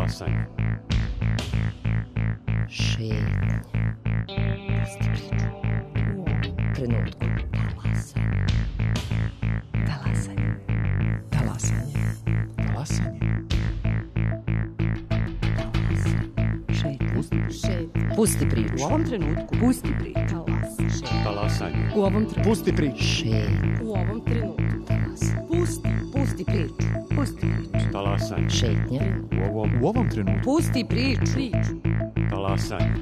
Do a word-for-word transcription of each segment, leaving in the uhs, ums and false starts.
Talasanje. Šetnje. Pusti priču. U ovom trenutku. Talasanje. Talasanje. Talasanje. Talasanje. Šetnje. Šetnje. Pusti priču. U ovom trenutku. Pusti priču. Talasanje. Talasanje. U ovom trenutku. Pusti priču. Šetnje. U ovom trenutku. Talasanje. Pusti. Pusti priču. Pusti priču. Talasanje. Šetnje. U ovom, u ovom trenutku. Pusti priču. Priču. Talasanje.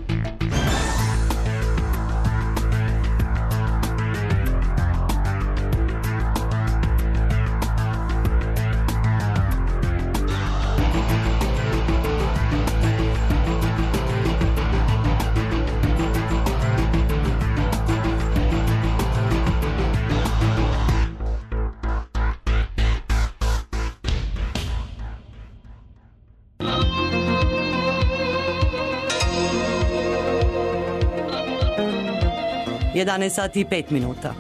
jedanaest sati i pet minuta.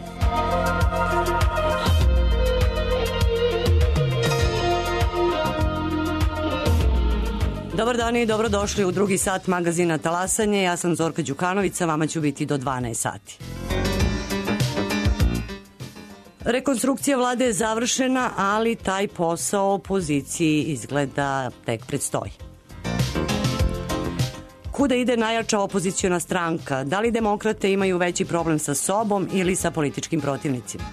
Dobar dan i dobrodošli u drugi sat magazina Talasanje. Ja sam Zorka Đukanović, sa vama ću biti do dvanaest sati. Rekonstrukcija vlade je završena, ali taj posao opoziciji izgleda tek predstoji. Kuda ide najjača opoziciona stranka? Da li demokrate imaju veći problem sa sobom ili sa političkim protivnicima?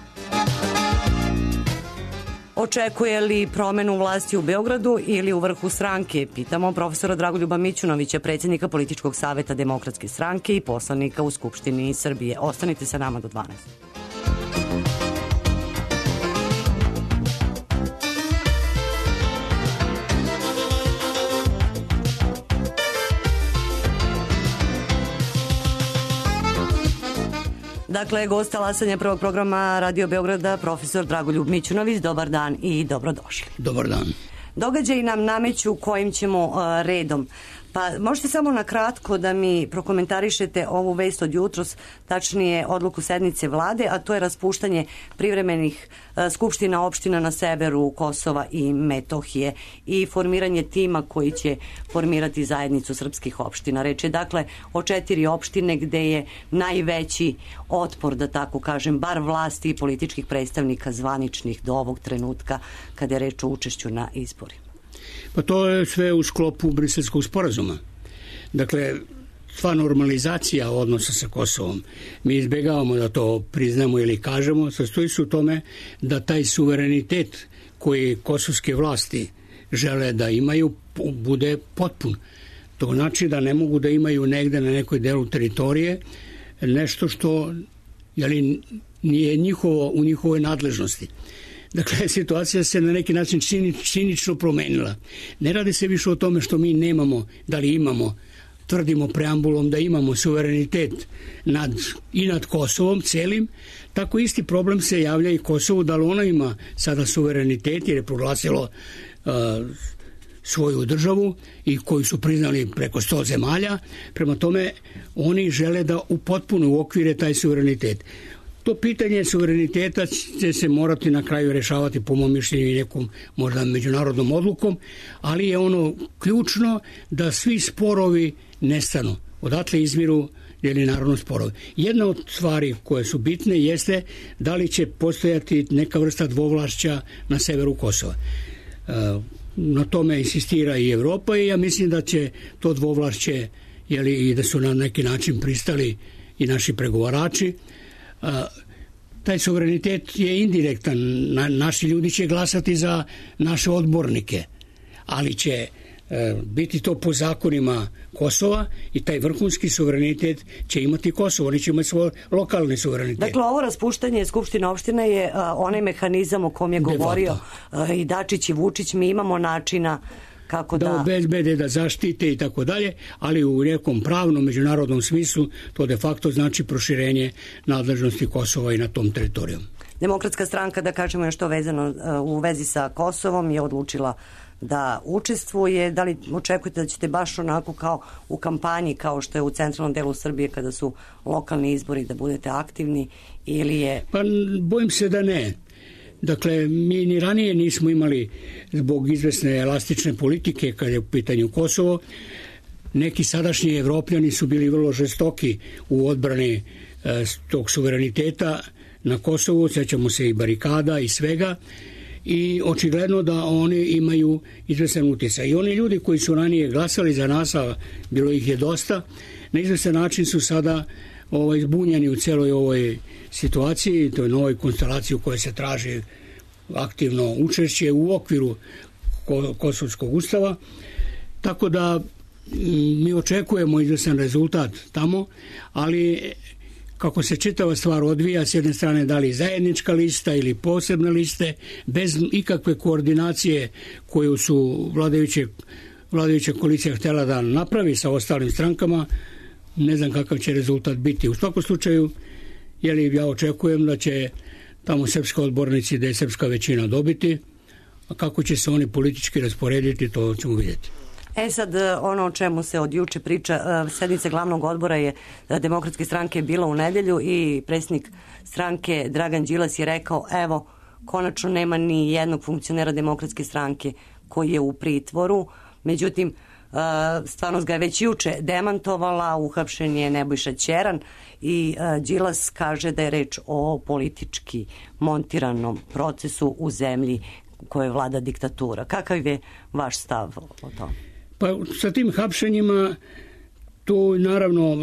Očekuje li promenu vlasti u Beogradu ili u vrhu stranke? Pitamo profesora Dragoljuba Mićunovića, predsjednika Političkog saveta Demokratske stranke i poslanika u Skupštini Srbije. Ostanite sa nama do dvanaest. Dakle, gost Talasanja prvog programa Radio Beograda, profesor Dragoljub Mićunović. Dobar dan i dobrodošli. Dobar dan. Događaji nam nameću kojim ćemo uh, redom. Pa možete samo na kratko da mi prokomentarišete ovu vest od jutros, tačnije odluku sednice vlade, a to je raspuštanje privremenih uh, skupština opština na severu Kosova i Metohije i formiranje tima koji će formirati zajednicu srpskih opština. Reč je dakle o četiri opštine gde je najveći otpor, da tako kažem, bar vlasti i političkih predstavnika zvaničnih do ovog trenutka kada je reč o učešću na izborima. Pa to je sve u sklopu Briselskog sporazuma. Dakle, sva normalizacija odnosa sa Kosovom, mi izbjegavamo da to priznamo ili kažemo, sastoji se u tome da taj suverenitet koji kosovske vlasti žele da imaju bude potpun. To znači da ne mogu da imaju negde na nekoj delu teritorije nešto što jeli, nije njihovo, u njihovoj nadležnosti. Dakle, situacija se na neki način činično promenila. Ne radi se više o tome što mi nemamo, da li imamo, tvrdimo preambulom da imamo suverenitet nad, i nad Kosovom celim, tako isti problem se javlja i Kosovu, da li ono ima sada suverenitet jer je proglasilo uh, svoju državu i koju su priznali preko sto zemalja. Prema tome, oni žele da upotpune u okvire taj suverenitet. To pitanje suvereniteta će se morati na kraju rešavati po mom mišljenju i nekom možda međunarodnom odlukom, ali je ono ključno da svi sporovi nestanu. Odatle izmiru ili narodno sporovi. Jedna od stvari koje su bitne jeste da li će postojati neka vrsta dvovlašća na severu Kosova. Na tome insistira i Evropa i ja mislim da će to dvovlašće, jeli, i da su na neki način pristali i naši pregovarači. A, taj suverenitet je indirektan. Na, naši ljudi će glasati za naše odbornike, ali će e, biti to po zakonima Kosova i taj vrhunski suverenitet će imati Kosovo. Oni će imati svoj lokalni suverenitet. Dakle, ovo raspuštanje Skupštine opštine je a, onaj mehanizam o kom je govorio a, i Dačić i Vučić. Mi imamo načina kako da, da obezbede, da zaštite i tako dalje, ali u nekom pravnom međunarodnom smislu to de facto znači proširenje nadležnosti Kosova i na tom teritorijom. Demokratska stranka, da kažemo još to vezano u vezi sa Kosovom, je odlučila da učestvuje. Da li očekujete da ćete baš onako kao u kampanji, kao što je u centralnom delu Srbije kada su lokalni izbori, da budete aktivni ili je... Pa bojim se da ne. Dakle, mi ni ranije nismo imali zbog izvesne elastične politike kad je u pitanju Kosovo. Neki sadašnji Evropljani su bili vrlo žestoki u odbrani e, tog suvereniteta na Kosovu, sećamo se i barikada i svega, i očigledno da oni imaju izvestan utjecaj. I oni ljudi koji su ranije glasali za nas, a bilo ih je dosta, na izvestan način su sada ovaj, zbunjeni u celoj ovoj situaciji, toj novoj konstelaciji u kojoj se traži aktivno učešće u okviru Kosovskog ustava. Tako da mi očekujemo izvestan rezultat tamo, ali kako se čitava stvar odvija, s jedne strane da li zajednička lista ili posebne liste, bez ikakve koordinacije koju su vladajuće, vladajuća koalicija htjela da napravi sa ostalim strankama, ne znam kakav će rezultat biti. U svakom slučaju, jeli, ja očekujem da će tamo srpski odbornici, da je srpska većina dobiti, a kako će se oni politički rasporediti, to ćemo vidjeti. E sad, ono o čemu se od juče priča, sednica glavnog odbora je Demokratske stranke bila u nedelju i predsjednik stranke Dragan Đilas je rekao, evo, konačno nema ni jednog funkcionera Demokratske stranke koji je u pritvoru, međutim, stvarnost ga je već juče demantovala, uhapšen je Nebojša Ćeran i Đilas kaže da je reč o politički montiranom procesu u zemlji u kojoj vlada diktatura. Kakav je vaš stav o tome? Pa sa tim hapšenjima tu naravno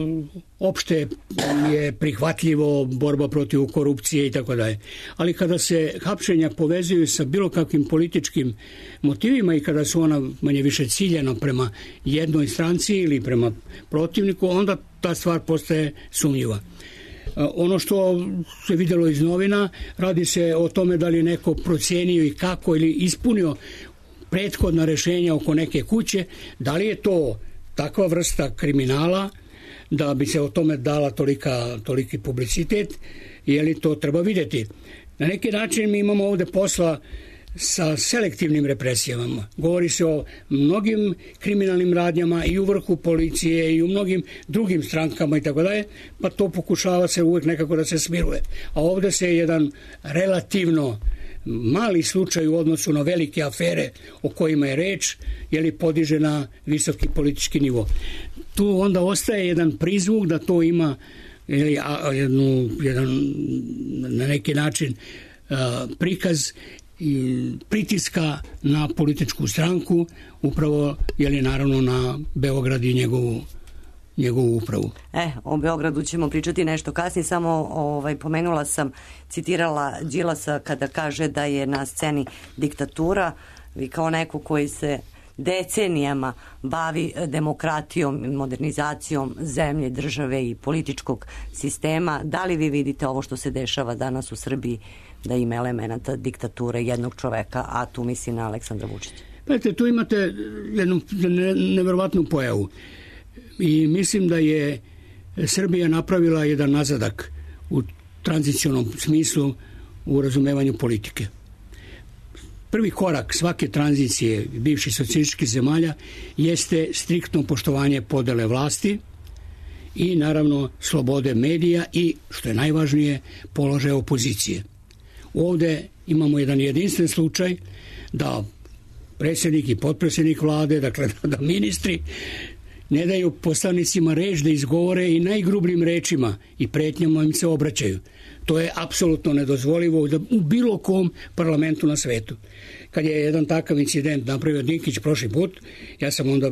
opšte je prihvatljivo borba protiv korupcije i tako dalje. Ali kada se hapšenja povezuju sa bilo kakvim političkim motivima i kada su ona manje više ciljena prema jednoj stranci ili prema protivniku, onda ta stvar postaje sumnjiva. Ono što se vidjelo iz novina, radi se o tome da li je neko procenio i kako ili ispunio prethodna rešenja oko neke kuće, da li je to takva vrsta kriminala da bi se o tome dala tolika, toliki publicitet, je li to treba vidjeti. Na neki način mi imamo ovde posla sa selektivnim represijama. Govori se o mnogim kriminalnim radnjama i u vrhu policije i u mnogim drugim strankama i tako dalje, pa to pokušava se uvek nekako da se smiruje. A ovde se jedan relativno mali slučaj u odnosu na velike afere o kojima je reč, je li podiže na visoki politički nivo. Tu onda ostaje jedan prizvuk da to ima ili, a, jednu, jedan na neki način a, prikaz i pritiska na političku stranku, upravo je li naravno na Beograd i njegovu njegovu upravu. E, o Beogradu ćemo pričati nešto kasnije, samo ovaj, pomenula sam, citirala Đilasa kada kaže da je na sceni diktatura. Vi kao neko koji se decenijama bavi demokratijom, modernizacijom zemlje, države i političkog sistema, da li vi vidite ovo što se dešava danas u Srbiji da ima elemenata diktature jednog čoveka, a tu misli na Aleksandra Vučića? Pazite, tu imate jednu neverovatnu pojavu. I mislim da je Srbija napravila jedan nazadak u tranzicionom smislu u razumevanju politike. Prvi korak svake tranzicije bivših socijalističkih zemalja jeste striktno poštovanje podele vlasti i naravno slobode medija i, što je najvažnije, položaja opozicije. Ovde imamo jedan jedinstven slučaj da predsjednik i potpredsjednik vlade, dakle da ministri ne daju poslanicima reč da izgovore i najgrubljim rečima i pretnjama im se obraćaju. To je apsolutno nedozvolivo u bilo kom parlamentu na svetu. Kad je jedan takav incident napravio Dinkić prošli put, ja sam onda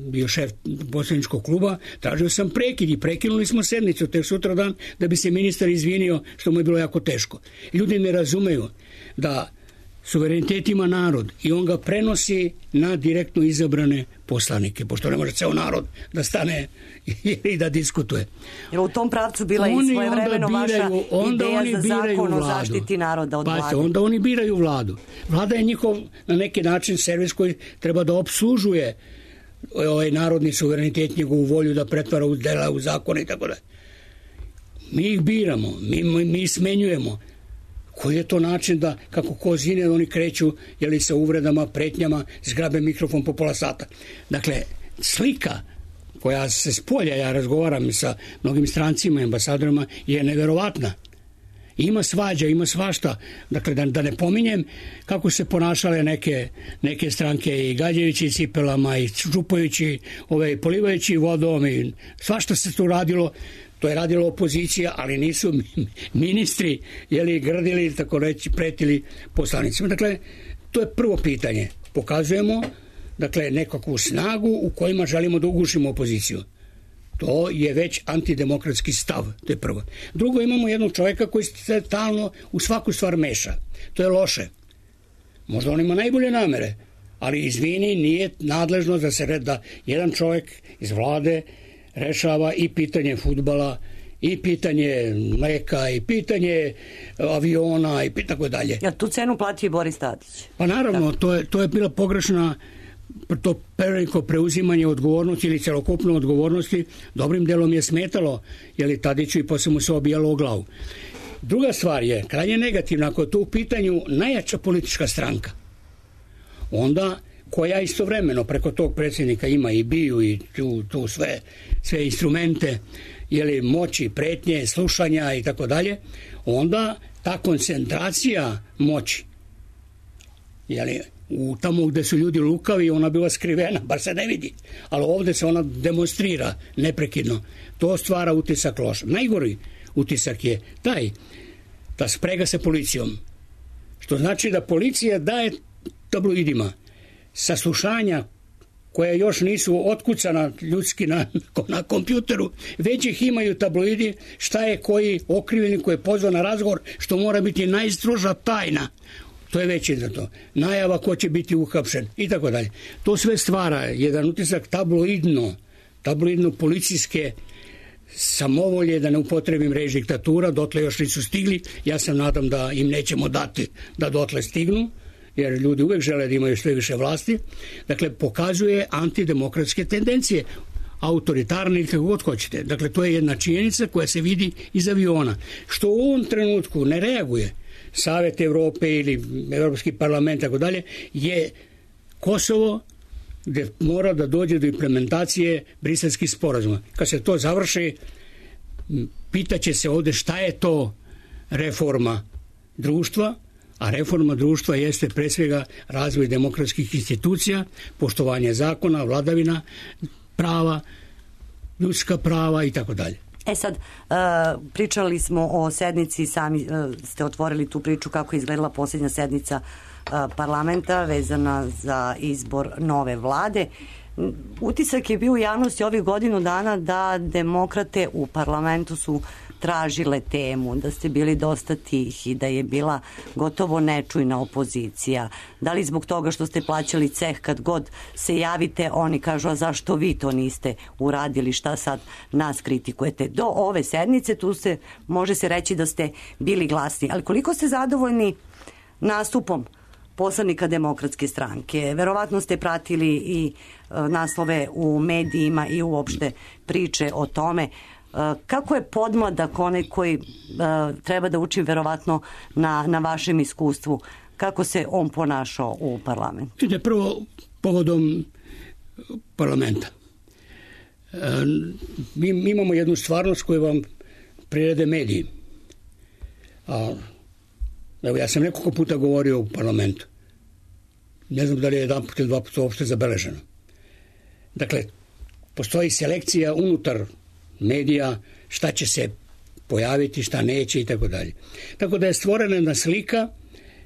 bio šef poslaničkog kluba, tražio sam prekid i prekinuli smo sednicu tek sutradan da bi se ministar izvinio što mu je bilo jako teško. Ljudi ne razumeju da suverenitet ima narod i on ga prenosi na direktno izabrane poslanike, pošto ne može ceo narod da stane i da diskutuje. Jer u tom pravcu bila oni i svojevremeno vaša ideja za zakon o zaštiti naroda od vlade. Onda oni biraju vladu. Vlada je njihov na neki način servis koji treba da obslužuje ovaj narodni suverenitet, njegovu volju da pretvara u dela, u zakone i tako da. Mi ih biramo, mi, mi smenjujemo. Koji je to način da, kako ko zine, oni kreću, jeli sa uvredama, pretnjama, zgrabe mikrofon po pola sata. Dakle, slika koja se spolja, ja razgovaram sa mnogim strancima i ambasadorima, je neverovatna. Ima svađa, ima svašta. Dakle, da, da ne pominjem kako se ponašale neke, neke stranke i gađajući cipelama i čupajući, ove, polivajući vodom i svašta se tu radilo. To je radila opozicija, ali nisu ministri jeli, grdili, tako reći, pretili poslanicima. Dakle, to je prvo pitanje. Pokazujemo dakle, nekakvu snagu u kojima želimo da ugušimo opoziciju. To je već antidemokratski stav, to je prvo. Drugo, imamo jednog čovjeka koji se stalno u svaku stvar meša. To je loše. Možda on ima najbolje namere, ali izvini, nije nadležno da se da jedan čovjek iz vlade rešava i pitanje fudbala, i pitanje mleka, i pitanje aviona, i tako dalje. Ja tu cenu platio i Boris Tadić. Pa naravno, to je, to je bila pogrešna to preveliko preuzimanje odgovornosti ili celokupne odgovornosti dobrim delom je smetalo, jer je Tadiću i posle mu se obijalo o glavu. Druga stvar je, krajnje negativna, ako je to u pitanju najjača politička stranka, onda koja istovremeno preko tog predsjednika ima i biju i tu, tu sve, sve instrumente jeli, moći, pretnje, slušanja i tako dalje, onda ta koncentracija moći jeli, u tamo gde su ljudi lukavi ona bila skrivena, bar se ne vidi, ali ovde se ona demonstrira neprekidno. To stvara utisak loš. Najgori utisak je taj da sprega sa policijom, što znači da policija daje tabloidima saslušanja koja još nisu otkucana ljudski na, na kompjuteru, već ih imaju tabloidi šta je koji okrivljeni koji je pozvan na razgovor, što mora biti najstroža tajna. To je već za to. Najava ko će biti uhapšen i tako dalje. To sve stvara jedan utisak tabloidno, tabloidno policijske samovolje, da ne upotrebim reč diktatura, dotle još nisu stigli. Ja sam nadam da im nećemo dati da dotle stignu, jer ljudi uvek žele da imaju sve više vlasti. Dakle, pokazuje antidemokratske tendencije, autoritarne ili kako god hoćete. Dakle, to je jedna činjenica koja se vidi iz aviona. Što u ovom trenutku ne reaguje Savet Evrope ili Evropski parlament, tako dalje, je Kosovo gde mora da dođe do implementacije briselskih sporazuma. Kad se to završi, pitaće se ovde šta je to reforma društva, a reforma društva jeste pre svega razvoj demokratskih institucija, poštovanje zakona, vladavina prava, ljudska prava i tako dalje. E sad, uh, pričali smo o sednici, sami uh, ste otvorili tu priču kako je izgledala posljednja sednica uh, parlamenta vezana za izbor nove vlade. Utisak je bio u javnosti ovih godinu dana da demokrate u parlamentu su tražile temu, da ste bili dosta tihi, da je bila gotovo nečujna opozicija. Da li zbog toga što ste plaćali ceh kad god se javite, oni kažu, a zašto vi to niste uradili, šta sad nas kritikujete? Do ove sednice tu se može se reći da ste bili glasni. Ali koliko ste zadovoljni nastupom poslanika Demokratske stranke? Verovatno ste pratili i naslove u medijima i uopšte priče o tome. Kako je podmladak onaj koji uh, treba da uči verovatno na, na vašem iskustvu, kako se on ponašao u parlamentu? Ide prvo povodom parlamenta. E, mi, mi imamo jednu stvarnost koju vam prirede mediji. A, evo, ja sam nekoliko puta govorio u parlamentu. Ne znam da li je jedan put ili dva puta uopšte zabeleženo. Dakle, postoji selekcija unutar medija, šta će se pojaviti, šta neće i tako dalje. Tako da je stvorena jedna slika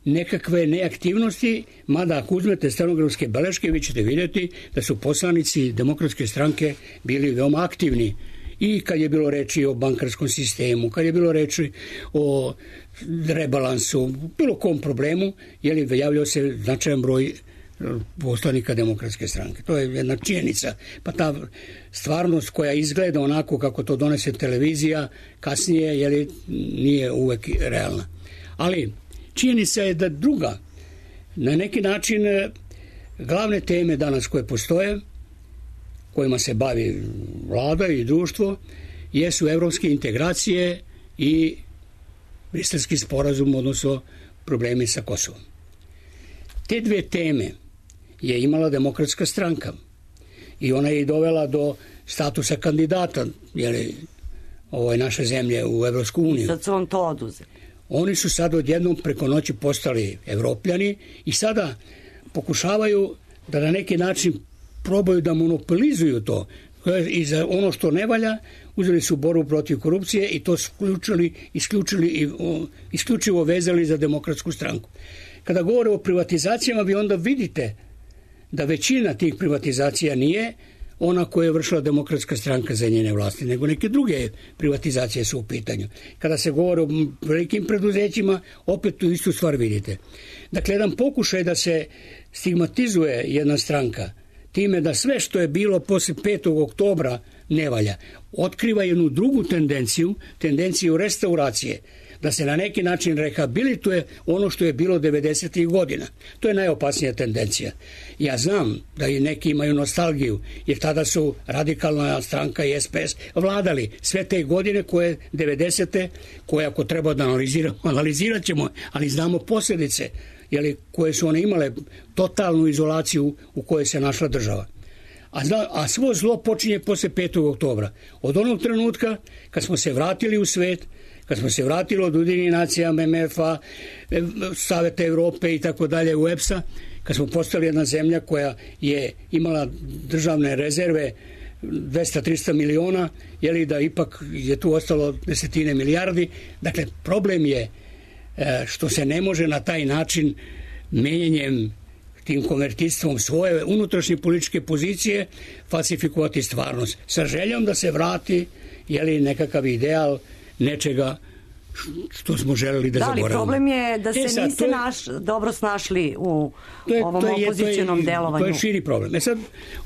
nekakve neaktivnosti, mada ako uzmete stenografske beleške, vi ćete vidjeti da su poslanici Demokratske stranke bili veoma aktivni i kad je bilo reči o bankarskom sistemu, kad je bilo reči o rebalansu, bilo kom problemu, je li javljao se značajan broj poslanika Demokratske stranke. To je jedna činjenica. Pa ta stvarnost koja izgleda onako kako to donese televizija kasnije, je li, nije uvek realna. Ali činjenica je da druga, na neki način glavne teme danas koje postoje, kojima se bavi vlada i društvo, jesu evropske integracije i briselski sporazum, odnosno problemi sa Kosovom. Te dve teme je imala Demokratska stranka i ona je i dovela do statusa kandidata, jer je ovo je naše zemlje u Evropsku uniju. Sad su vam to oduzeli. Oni su sad odjednom preko noći postali Evropljani i sada pokušavaju da na neki način probaju da monopolizuju to. I za ono što ne valja uzeli su borbu protiv korupcije i to isključili, isključili i o, isključivo vezali za Demokratsku stranku. Kada govore o privatizacijama, vi onda vidite da većina tih privatizacija nije ona koja je vršila Demokratska stranka za njene vlasti, nego neke druge privatizacije su u pitanju. Kada se govore o velikim preduzećima, opet tu istu stvar vidite. Dakle, jedan pokušaj da se stigmatizuje jedna stranka time da sve što je bilo posle petog oktobra ne valja, otkriva jednu drugu tendenciju, tendenciju restauracije, da se na neki način rehabilituje ono što je bilo devedesetih godina. To je najopasnija tendencija. Ja znam da i neki imaju nostalgiju, jer tada su Radikalna stranka i S P S vladali sve te godine koje devedesete, koje ako treba da analiziramo, analizirat ćemo, ali znamo posljedice, jeli, koje su one imale totalnu izolaciju u kojoj se našla država. A, zna, a svo zlo počinje posle petog oktobra. Od onog trenutka kad smo se vratili u svet, kad smo se vratili od Ujedinjenih nacija, M M F-a, Saveta Evrope i tako dalje, U E P S-a, kad smo postali jedna zemlja koja je imala državne rezerve dvesta do trista miliona, jeli, da ipak je tu ostalo desetine milijardi. Dakle, problem je što se ne može na taj način menjanjem, tim konvertistvom svoje unutrašnje političke pozicije falsifikovati stvarnost. Sa željom da se vrati, jeli, nekakav ideal nečega što smo želeli da, da zaboravimo. Da, ali problem je da se e sad, niste je, naš, dobro snašli u je, ovom opozicionom delovanju. To je širi problem. E sad,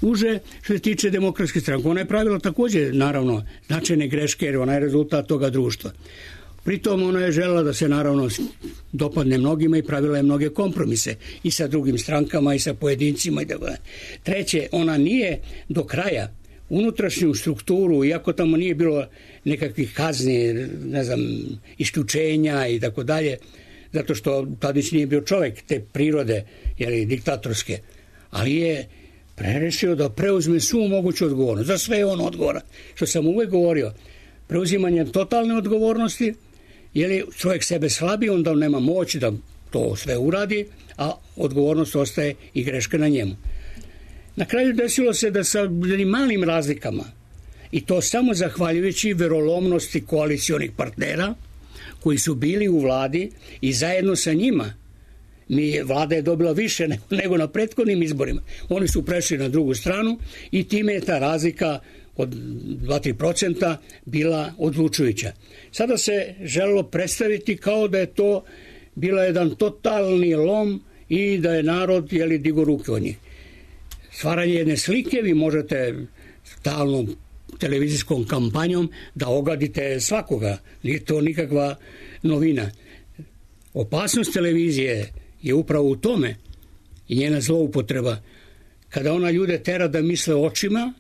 uže što se tiče Demokratske stranke, ona je pravila također, naravno, značajne greške, jer ona je rezultat toga društva. Pritom ona je želela da se naravno dopadne mnogima i pravila je mnoge kompromise i sa drugim strankama i sa pojedincima i tako. Treće, ona nije do kraja unutrašnju strukturu, iako tamo nije bilo nekakvih kazni, ne znam, isključenja i tako dalje, zato što Tadić nije bio čovjek te prirode, jeli, diktatorske, ali je prerešio da preuzme svu moguću odgovornost. Za sve je on odgovoran. Što sam uvek govorio, preuzimanjem totalne odgovornosti, jer čovjek sebe slabi, onda on nema moć da to sve uradi, a odgovornost ostaje i greška na njemu. Na kraju desilo se da sa malim razlikama, i to samo zahvaljujući verolomnosti koalicionih partnera koji su bili u vladi i zajedno sa njima, mi, vlada je dobila više nego, nego na prethodnim izborima. Oni su prešli na drugu stranu i time je ta razlika od dva do tri procenta bila odlučujuća. Sada se želelo predstaviti kao da je to bila jedan totalni lom i da je narod, jeli, digo ruke od njih. Stvaranje jedne slike, vi možete stalnom televizijskom kampanjom da ogadite svakoga. Nije to nikakva novina. Opasnost televizije je upravo u tome i njena zloupotreba kada ona ljude tera da misle očima,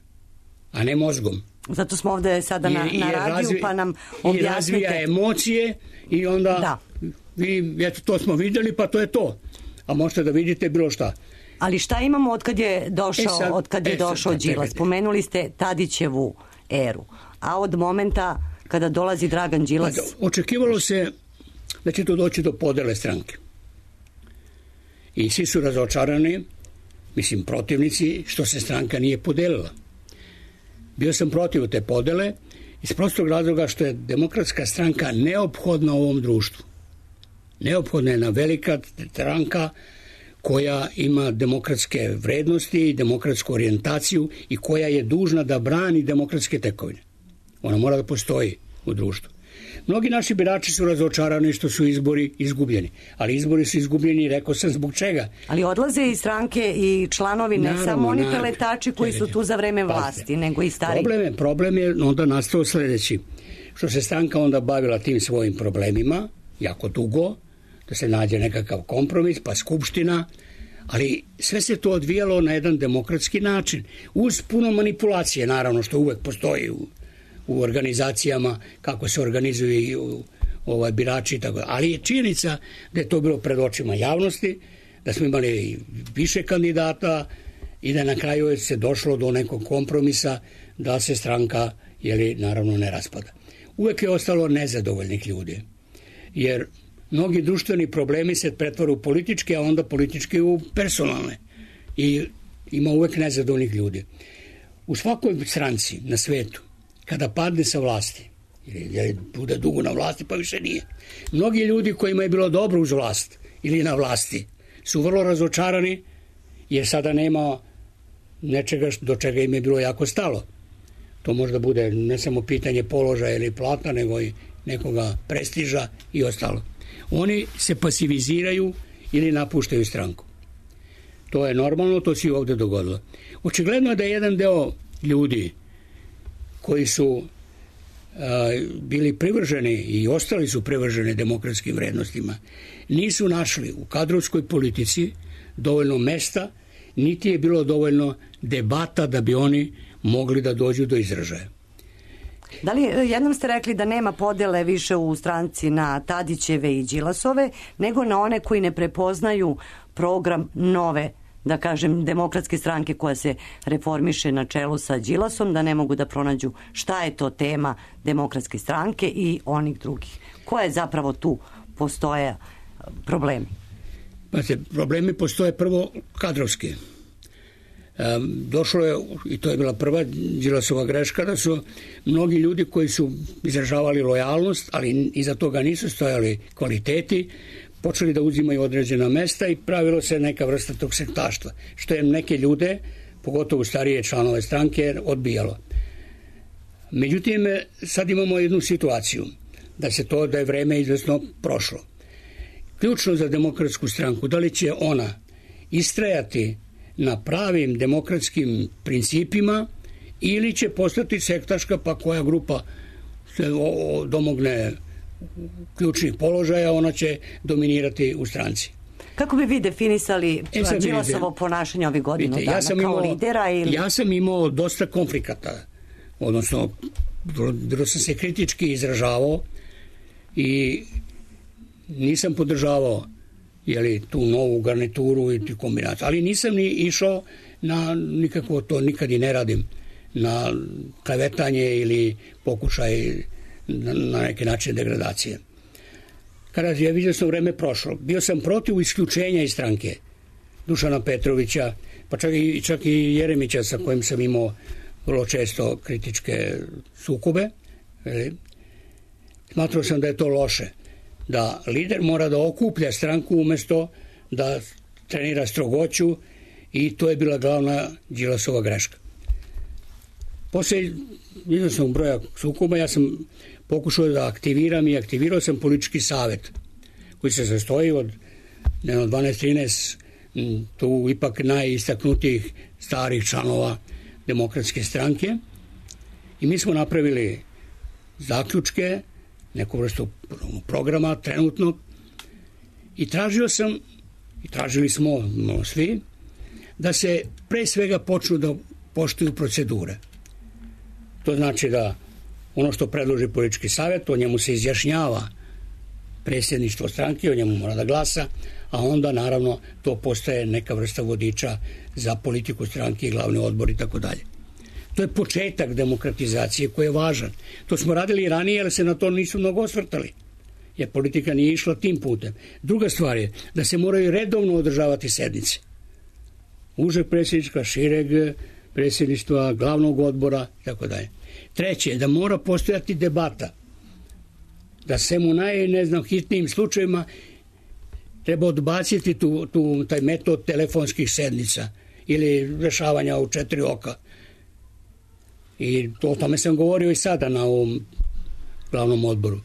a ne mozgom. Zato smo ovde sada na, I, na radiju, razvi, pa nam objasnite. I razvija emocije i onda da. vi, eto, to smo vidjeli, pa to je to. A možete da vidite bilo šta. Ali šta imamo od kad je došao, e sad, od kad je e došao Đilas? Spomenuli ste Tadićevu eru. A od momenta kada dolazi Dragan Đilas... Pa, očekivalo se da će to doći do podele stranke. I svi su razočarani, mislim protivnici, što se stranka nije podelila. Bio sam protiv te podele iz prostog razloga što je Demokratska stranka neophodna u ovom društvu. Neophodna je jedna velika stranka koja ima demokratske vrednosti i demokratsku orijentaciju i koja je dužna da brani demokratske tekovine. Ona mora da postoji u društvu. Mnogi naši birači su razočarani što su izbori izgubljeni, ali izbori su izgubljeni, rekao sam zbog čega. Ali odlaze iz stranke i članovi, ne naravno, samo oni peletači koji su tu za vreme vlasti, nego i stari. Problem je, problem je onda nastao sljedeći, što se stranka onda bavila tim svojim problemima, jako dugo, da se nađe nekakav kompromis, pa skupština, ali sve se to odvijalo na jedan demokratski način, uz puno manipulacije, naravno, što uvek postoji u u organizacijama, kako se organizuju ovaj, birači i tako. Ali je činjenica da je to bilo pred očima javnosti, da smo imali više kandidata i da na kraju se došlo do nekog kompromisa da se stranka, jeli, naravno, ne raspada. Uvek je ostalo nezadovoljnih ljudi, jer mnogi društveni problemi se pretvore u političke, a onda političke u personalne. I ima uvek nezadovoljnih ljudi. U svakoj stranci na svetu, kada padne sa vlasti, ili bude dugo na vlasti, pa više nije, mnogi ljudi kojima je bilo dobro uz vlast ili na vlasti su vrlo razočarani, jer sada nema nečega do čega im je bilo jako stalo. To možda bude ne samo pitanje položaja ili plata, nego i nekoga prestiža i ostalo. Oni se pasiviziraju ili napuštaju stranku. To je normalno, to se i ovde dogodilo. Očigledno je da je jedan deo ljudi koji su a, bili privrženi i ostali su privrženi demokratskim vrednostima, nisu našli u kadrovskoj politici dovoljno mesta, niti je bilo dovoljno debata da bi oni mogli da dođu do izražaja. Da li, jednom ste rekli da nema podele više u stranci na Tadićeve i Đilasove, nego na one koji ne prepoznaju program nove, da kažem, demokratske stranke koja se reformiše na čelu sa Đilasom, da ne mogu da pronađu šta je to tema demokratske stranke i onih drugih. Koje zapravo tu postoje problemi? Pa se, problemi postoje prvo kadrovski. Um, došlo je, i to je bila prva Đilasova greška, da su mnogi ljudi koji su izražavali lojalnost, ali iza toga nisu stojali kvaliteti, počeli da uzimaju određena mesta i pravilo se neka vrsta tog sektaštva, što je neke ljude, pogotovo starije članove stranke, odbijalo. Međutim, sad imamo jednu situaciju, da se to, da je vreme izvesno prošlo. Ključno za demokratsku stranku, da li će ona istrajati na pravim demokratskim principima ili će postati sektaška, pa koja grupa se domogne ključnih položaja, ona će dominirati u stranci. Kako bi vi definisali e, Đilasovo ponašanje ovih godinu vidite, dana? Ja sam kao imao, lidera ili... Ja sam imao dosta konflikata, odnosno vrlo sam se kritički izražavao i nisam podržavao jeli, tu novu garnituru i tu kombinaciju. Ali nisam ni išao na nikako, to nikad i ne radim, na klevetanje ili pokušaj na, na neki način degradacije. Kada je vidio sam vreme prošlo, bio sam protiv isključenja iz stranke Dušana Petrovića, pa čak i, čak i Jeremića sa kojim sam imao vrlo često kritičke sukobe. Smatrao sam da je to loše, da lider mora da okuplja stranku umesto da trenira strogoću i to je bila glavna Đilasova greška. Posle iznosnog broja sukoba ja sam pokušao da aktiviram i aktivirao sam politički savet koji se sastoji od dvanaest trinaest tu ipak najistaknutijih starih članova demokratske stranke i mi smo napravili zaključke, neku vrstu programa trenutnog i tražio sam i tražili smo no, svi da se pre svega počnu da poštuju procedure. To znači da ono što predloži politički savjet, o njemu se izjašnjava predsjedništvo stranke, o njemu mora da glasa, a onda naravno to postaje neka vrsta vodiča za politiku stranke i glavni odbor i tako dalje. To je početak demokratizacije koji je važan. To smo radili i ranije, ali se na to nisu mnogo osvrtali, jer politika nije išla tim putem. Druga stvar je da se moraju redovno održavati sednice. Užeg predsjednička, šireg predsjedništva, glavnog odbora i tako dalje. Treće je da mora postojati debata. Da se mu naj, ne znam, hitnijim slučajima treba odbaciti tu, tu, taj metod telefonskih sednica ili rešavanja u četiri oka. I to, o tome sam govorio i sada na ovom glavnom odboru.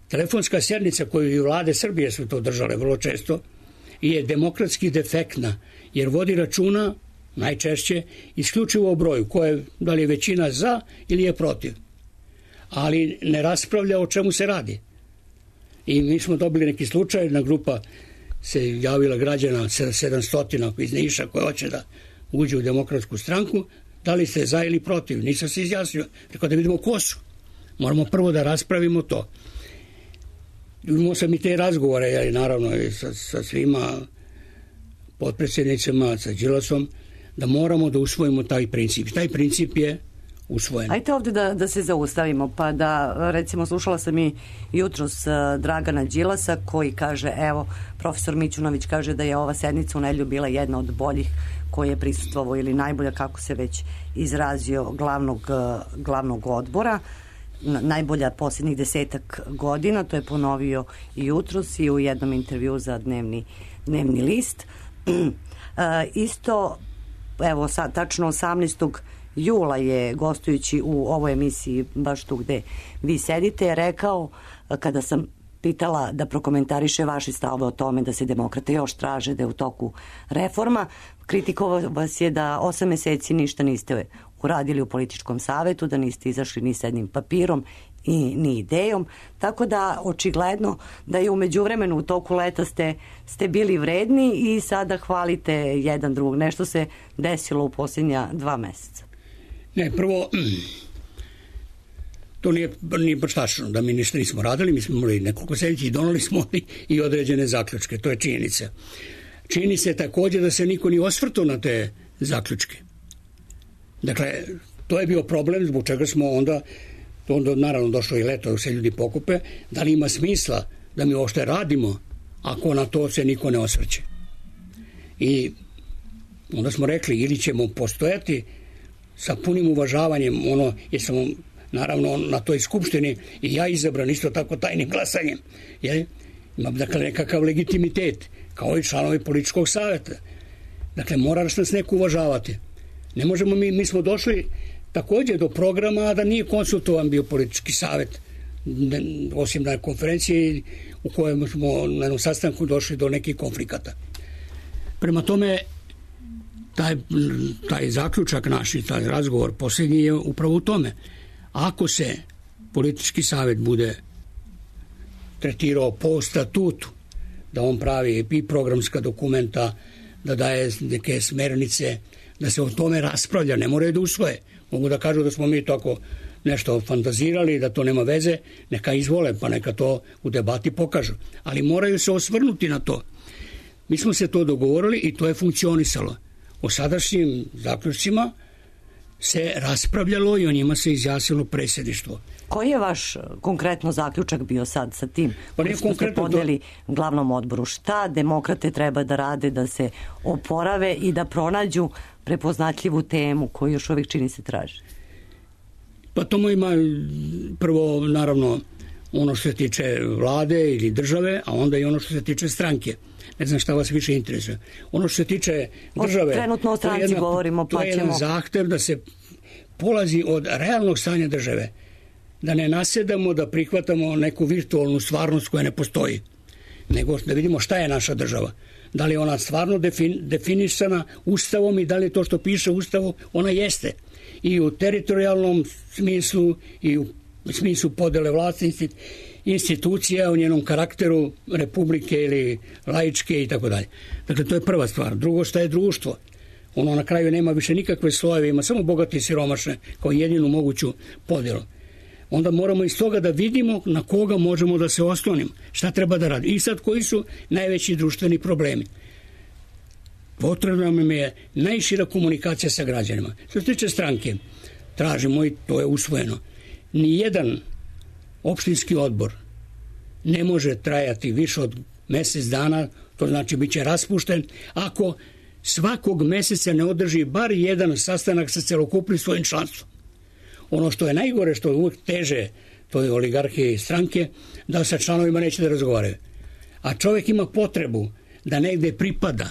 Telefonska sednica koju i vlade Srbije su to držale vrlo često je demokratski defektna, jer vodi računa najčešće isključivo o broju, koje da li je većina za ili je protiv. Ali ne raspravlja o čemu se radi. I mi smo dobili neki slučaj, jedna grupa se javila građana sedamsto iz Niša koja hoće da uđe u demokratsku stranku, da li ste za ili protiv, nisam se izjasnio, rekao da vidimo ko su. Moramo prvo da raspravimo to. Imao sam i te razgovore, ja, naravno i sa, sa svima potpredsjednicima, sa Đilasom, da moramo da usvojimo taj princip. Taj princip je usvojeno. Ajde ovde da, da se zaustavimo, pa da, recimo, slušala sam i jutros uh, Dragana Đilasa koji kaže, evo, profesor Mićunović kaže da je ova sednica u nedelju bila jedna od boljih koje je prisustvovao ili najbolja, kako se već izrazio, glavnog, uh, glavnog odbora, najbolja posljednjih desetak godina, to je ponovio i jutros i u jednom intervju za dnevni, dnevni list. uh, isto, evo sad, tačno osamnaestog jula je, gostujući u ovoj emisiji, baš tu gde vi sedite, je rekao, kada sam pitala da prokomentariše vaše stavove o tome da se demokrate još traže, da je u toku reforma, kritikovao vas je da osam meseci ništa niste uradili u političkom savetu, da niste izašli ni s jednim papirom i ni idejom, tako da očigledno da je u međuvremenu u toku leta ste, ste bili vredni i sada hvalite jedan drugog. Nešto se desilo u posljednja dva meseca. Ne, prvo, to nije, nije baš tačno da mi ništa nismo radili, mi smo imali nekoliko sedmica i donali smo i određene zaključke, to je činjenica. Čini se također da se niko nije osvrtao na te zaključke. Dakle, to je bio problem zbog čega smo onda, onda naravno došlo i leto, se ljudi pokupe, da li ima smisla da mi ošte radimo ako na to se niko ne osvrće. I onda smo rekli, ili ćemo postojati sa punim uvažavanjem, ono, jer sam naravno na toj skupštini i ja izabran isto tako tajnim glasanjem, jer imam dakle nekakav legitimitet, kao i članovi političkog savjeta. Dakle, mora nas neko uvažavati. Ne možemo mi, mi smo došli također do programa da nije konsultovan bio politički savjet, osim na konferenciji u kojem smo na jednom sastanku došli do nekih konflikata. Prema tome, taj, taj zaključak naš i taj razgovor posljednji je upravo u tome. Ako se politički savjet bude tretirao po statutu, da on pravi i programska dokumenta, da daje neke smernice, da se o tome raspravlja, ne moraju da usvoje. Mogu da kažu da smo mi tako nešto fantazirali, da to nema veze, neka izvole, pa neka to u debati pokažu. Ali moraju se osvrnuti na to. Mi smo se to dogovorili i to je funkcionisalo. O sadašnjim zaključcima se raspravljalo i o njima se izjasnilo predsjedništvo. Koji je vaš konkretno zaključak bio sad sa tim? Pa nije konkretno podeli to... glavnom odboru. Šta demokrate treba da rade da se oporave i da pronađu prepoznatljivu temu koju još uvijek čini se traži? Pa tomu ima prvo naravno ono što se tiče vlade ili države, a onda i ono što se tiče stranke. Ne znam šta vas više interesuje. Ono što se tiče države... Trenutno o stranci jedna, govorimo, pa ćemo... To je jedan zahtev da se polazi od realnog stanja države. Da ne nasedamo, da prihvatamo neku virtualnu stvarnost koja ne postoji. Nego da vidimo šta je naša država. Da li je ona stvarno defin, definisana Ustavom i da li je to što piše u Ustavu, ona jeste. I u teritorijalnom smislu i u smislu podele vlasti institucija, u njenom karakteru republike ili laičke i tako dalje. Dakle, to je prva stvar. Drugo, šta je društvo? Ono na kraju nema više nikakve slojeve, ima samo bogati i siromašne kao jedinu moguću podjelu. Onda moramo iz toga da vidimo na koga možemo da se oslonimo, šta treba da radimo. I sad koji su najveći društveni problemi. Potrebna nam je najšira komunikacija sa građanima. Što se tiče stranke, tražimo i to je usvojeno. Nijedan opštinski odbor ne može trajati više od mjesec dana, to znači bit će raspušten, ako svakog mjeseca ne održi bar jedan sastanak sa celokupnim svojim članstvom. Ono što je najgore, što je uvijek teže, to je oligarhije i stranke, da sa članovima neće da razgovaraju. A čovjek ima potrebu da negde pripada,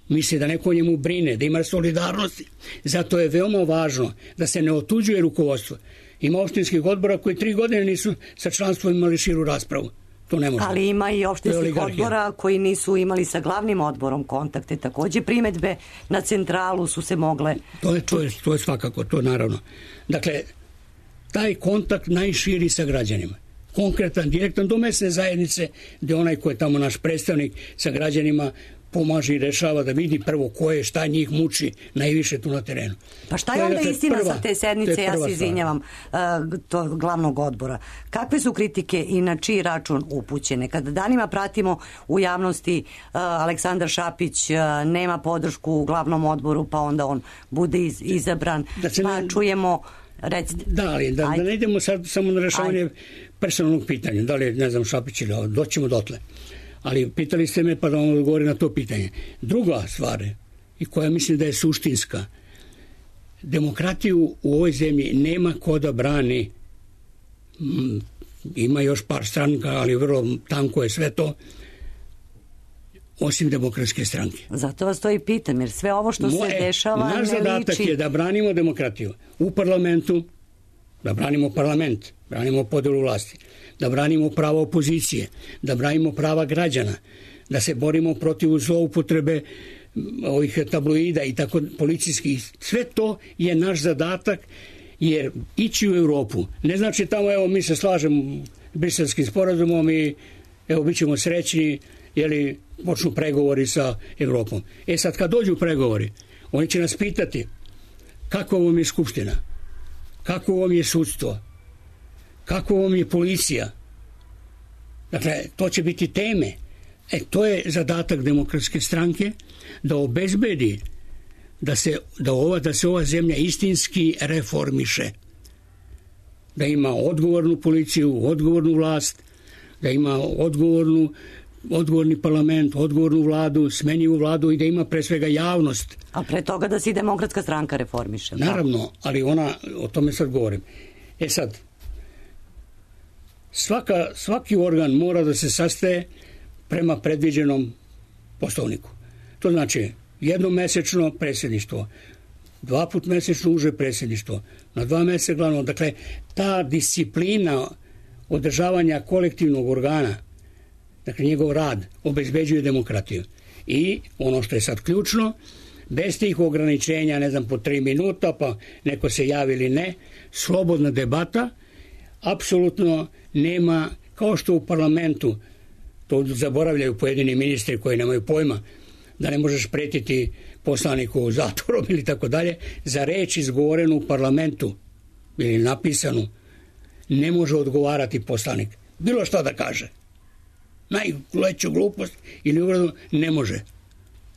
misli da neko o njemu brine, da ima solidarnosti. Zato je veoma važno da se ne otuđuje rukovodstvo. Ima opštinskih odbora koji tri godine nisu sa članstvom imali širu raspravu. To ne može. Ali ima i opštinskih odbora koji nisu imali sa glavnim odborom kontakte. Također primedbe na centralu su se mogle... To je, to je, to je svakako, to je naravno. Dakle, taj kontakt najširi sa građanima. Konkretan, direktan do mesne zajednice, gdje onaj ko je tamo naš predstavnik sa građanima pomaže i rešava, da vidi prvo ko je, šta njih muči najviše tu na terenu. Pa šta je onda dakle, istina prva, sa te sednice, ja se izvinjavam, uh, to glavnog odbora? Kakve su kritike i na čiji račun upućene? Kada danima pratimo u javnosti uh, Aleksandar Šapić uh, nema podršku u glavnom odboru, pa onda on bude iz, izabran, da pa ne... čujemo... Recite. Da, ali da, da ne idemo sad samo na rešavanje Ajde. personalnog pitanja, da li ne znam Šapić ili doćemo dotle. Ali pitali ste me pa da vam odgovori na to pitanje. Druga stvar i koja mislim da je suštinska, demokratiju u ovoj zemlji nema ko da brani. Ima još par stranka, ali vrlo tanko je sve to, osim demokratske stranke. Zato vas to i pitam, jer sve ovo što Moje, se dešava naš ne zadatak liči... je da branimo demokratiju u parlamentu, da branimo parlament, branimo podelu vlasti, da branimo prava opozicije, da branimo prava građana, da se borimo protiv zloupotrebe ovih tabloida i tako policijskih. Sve to je naš zadatak, jer ići u Europu ne znači tamo, evo, mi se slažemo Briselskim sporazumom i evo, bit ćemo srećni, jeli počnu pregovori sa Evropom. E sad, kad dođu pregovori, oni će nas pitati kako vam je skupština, kako vam je sudstvo, kako vam je policija. Dakle, to će biti teme. E, to je zadatak demokratske stranke, da obezbedi da se, da ova, da se ova zemlja istinski reformiše. Da ima odgovornu policiju, odgovornu vlast, da ima odgovornu odgovorni parlament, odgovornu vladu, smenjivu vladu i da ima pre svega javnost. A pre toga da se i demokratska stranka reformiše. Naravno, ali ona, o tome sad govorim. E sad, svaka, svaki organ mora da se sastaje prema predviđenom poslovniku. To znači jednom mesečno predsjedništvo, dva put mesečno uže predsjedništvo, na dva meseca glavno. Dakle, ta disciplina održavanja kolektivnog organa, dakle njegov rad, obezbeđuje demokratiju. I ono što je sad ključno, bez tih ograničenja, ne znam, po tri minuta, pa neko se javi ili ne, slobodna debata, apsolutno nema, kao što u parlamentu, to zaboravljaju pojedini ministri koji nemaju pojma, da ne možeš pretiti poslaniku zatvorom ili tako dalje, za reč izgovorenu u parlamentu ili napisanu ne može odgovarati poslanik. Bilo šta da kaže. Najveću glupost ili uvradu ne može.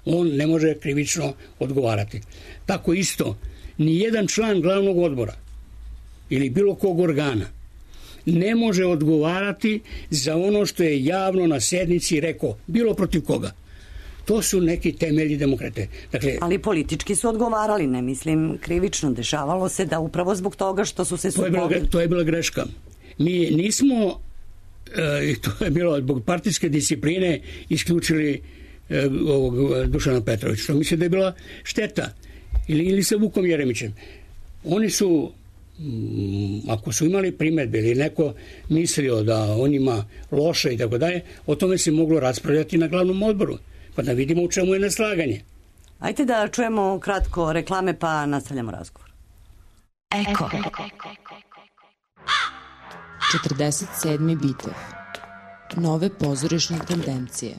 On ne može krivično odgovarati. Tako isto, ni jedan član glavnog odbora ili bilo kog organa ne može odgovarati za ono što je javno na sednici rekao, bilo protiv koga. To su neki temelji demokrate. Dakle, ali politički su odgovarali, ne mislim krivično. Dešavalo se da upravo zbog toga što su se sukobili. To je bila greška. Mi nismo, e, to je bilo zbog partijske discipline, isključili e, ovog Dušana Petrovića. Što mislim da je bila šteta. Ili, ili sa Vukom Jeremićem. Oni su, m, ako su imali primedbe ili neko mislio da on ima loše i tako dalje, o tome se moglo raspravljati na glavnom odboru. Pa da vidimo u čemu je neslaganje. Ajde da čujemo kratko reklame pa nastavljamo razgovor. Eko. četrdeset sedmi bitev. Nove pozorišne tendencije.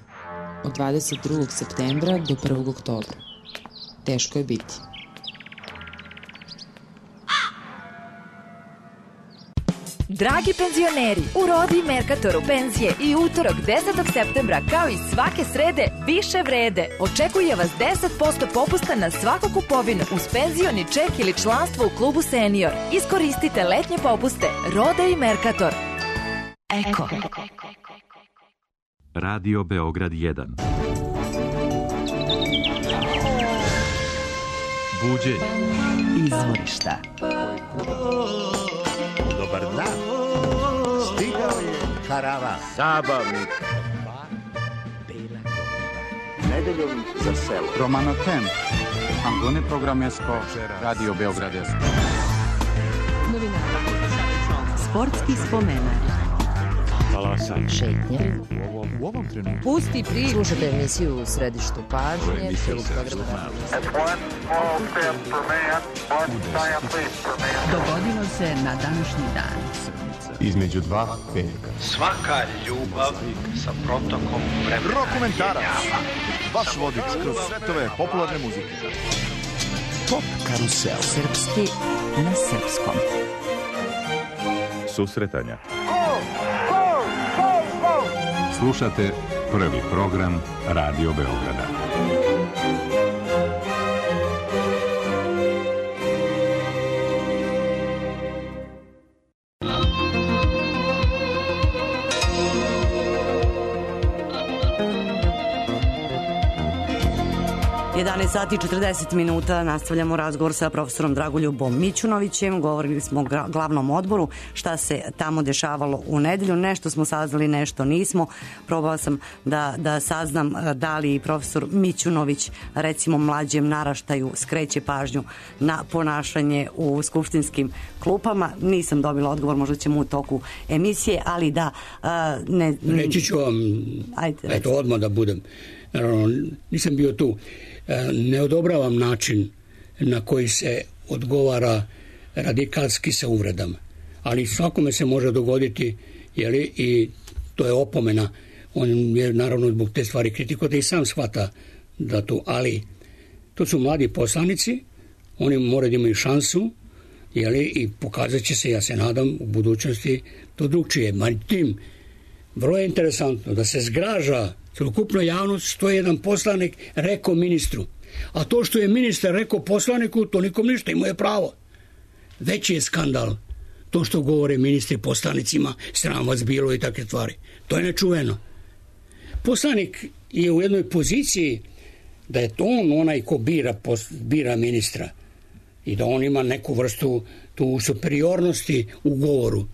Od dvadeset drugog septembra do prvog oktobra. Teško je biti. Dragi penzioneri, u Rodi Merkatoru penzije i utorak desetog septembra kao i svake srede više vrede. Očekuje vas deset posto popusta na svaku kupovinu uz penzioni ček ili članstvo u klubu Senior. Iskoristite letnje popuste. Roda i Merkator. Eko. Radio Beograd jedan. Buđenje. Izvorišta. Dobar dan. Stigao je karavan zabavnik. Nedeljom za selo. Romano Tem. Antone Programesko. Radio Beograd. Sportski spomenak. Talasanje. Šetnje. U ovom, u ovom trenutku. Pusti priču. Slušajte emisiju u središtu pažnje. Dogodilo se na današnji dan. između dva petka. Svaka ljubav sa protokom vremena. Rokomentarac, vaš vodič kroz svetove popularne muzike. Pop karusel. Srpski na srpskom. Susretanja. Slušate prvi program Radio Beograda. jedanaest sati i četrdeset minuta, nastavljamo razgovor sa profesorom Dragoljubom Mićunovićem. Govorili smo o glavnom odboru, šta se tamo dešavalo u nedelju. Nešto smo saznali, nešto nismo. Probala sam da, da saznam da li profesor Mićunović recimo mlađem naraštaju skreće pažnju na ponašanje u skupštinskim klupama. Nisam dobila odgovor, možda ćemo u toku emisije, ali da... Ne, Reći ću vam, ajde, eto odmah da budem. Naravno, nisam bio tu. Ne odobravam način na koji se odgovara radikalski sa uvredama. Ali svakome se može dogoditi, jeli, i to je opomena. On je naravno zbog te stvari kritikovati i sam shvata da to, ali to su mladi poslanici, oni moraju da imaju šansu, jeli, i pokazat će se, ja se nadam, u budućnosti to drugčije. Međutim, vrlo je interesantno da se zgraža celokupna javnost što je jedan poslanik rekao ministru. A to što je ministar rekao poslaniku, to nikom ništa, imao je pravo. Veći je skandal to što govore ministri poslanicima, sram vas bilo i takve stvari. To je nečuveno. Poslanik je u jednoj poziciji da je to on onaj ko bira, bira ministra i da on ima neku vrstu tu superiornosti u govoru.